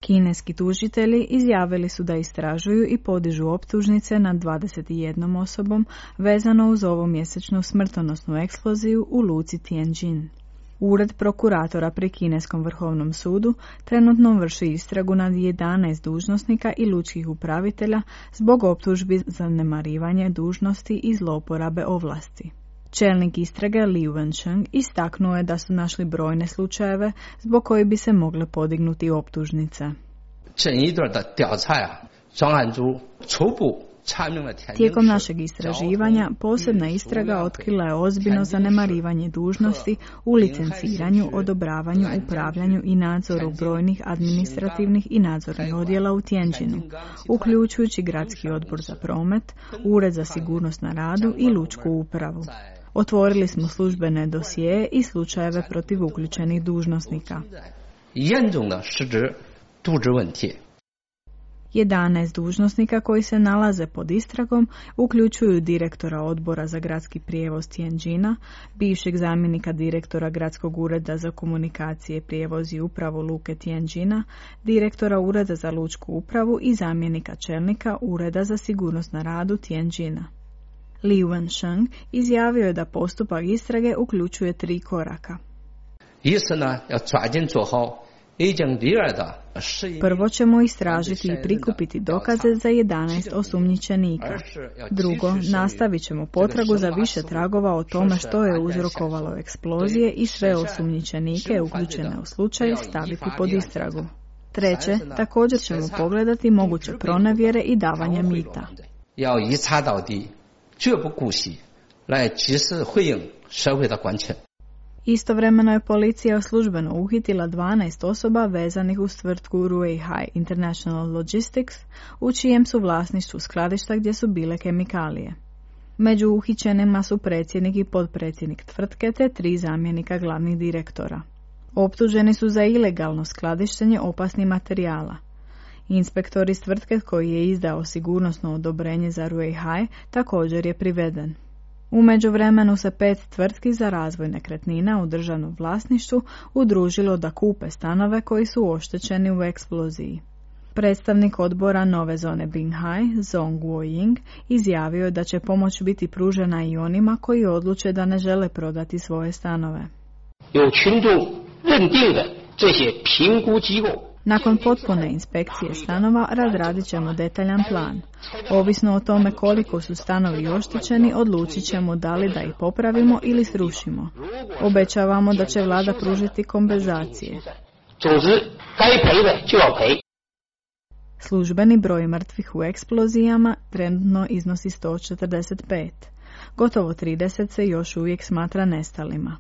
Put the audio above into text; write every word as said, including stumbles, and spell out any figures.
Kineski tužitelji izjavili su da istražuju i podižu optužnice nad dvadeset jednom osobom vezano uz ovomjesečnu smrtonosnu eksploziju u luci Tianjin. Ured prokuratora pri Kineskom vrhovnom sudu trenutno vrši istragu nad jedanaest dužnosnika i lučkih upravitelja zbog optužbi za zanemarivanje dužnosti i zlouporabe ovlasti. Čelnik istrage Liu Wensheng istaknuo je da su našli brojne slučajeve zbog koji bi se mogle podignuti optužnice. Tijekom našeg istraživanja posebna istraga otkrila je ozbiljno zanemarivanje dužnosti u licenciranju, odobravanju, upravljanju i nadzoru brojnih administrativnih i nadzornih odjela u Tianjinu, uključujući Gradski odbor za promet, Ured za sigurnost na radu i lučku upravu. Otvorili smo službene dosjeje i slučajeve protiv uključenih dužnosnika. jedanaest dužnosnika koji se nalaze pod istragom uključuju direktora odbora za gradski prijevoz Tianjina, bivšeg zamjenika direktora Gradskog ureda za komunikacije, prijevoz i upravu luke Tianjina, direktora Ureda za lučku upravu i zamjenika čelnika Ureda za sigurnost na radu Tianjina. Liu Wensheng izjavio je da postupak istrage uključuje tri koraka. Prvo ćemo istražiti i prikupiti dokaze za jedanaest osumnjičenika. Drugo, nastavit ćemo potragu za više tragova o tome što je uzrokovalo eksplozije i sve osumnjičenike uključene u slučaj staviti pod istragu. Treće, također ćemo pogledati moguće pronevjere i davanja mita. Istovremeno je policija službeno uhitila dvanaest osoba vezanih uz tvrtku Rueihai International Logistics, u čijem su vlasništvu skladišta gdje su bile kemikalije. Među uhićenima su predsjednik i potpredsjednik tvrtke te tri zamjenika glavnih direktora. Optuženi su za ilegalno skladištenje opasnih materijala. Inspektor iz tvrtke koji je izdao sigurnosno odobrenje za Rueihai također je priveden. U međuvremenu se pet tvrtki za razvoj nekretnina u državnom vlasništvu udružilo da kupe stanove koji su oštećeni u eksploziji. Predstavnik odbora nove zone Binghai, Zhong Guoying, izjavio je da će pomoć biti pružena i onima koji odluče da ne žele prodati svoje stanove. Nakon potpune inspekcije stanova razradit ćemo detaljan plan. Ovisno o tome koliko su stanovi oštećeni, odlučit ćemo da li da ih popravimo ili srušimo. Obećavamo da će vlada pružiti kompenzacije. Službeni broj mrtvih u eksplozijama trenutno iznosi sto četrdeset pet. Gotovo trideset se još uvijek smatra nestalima.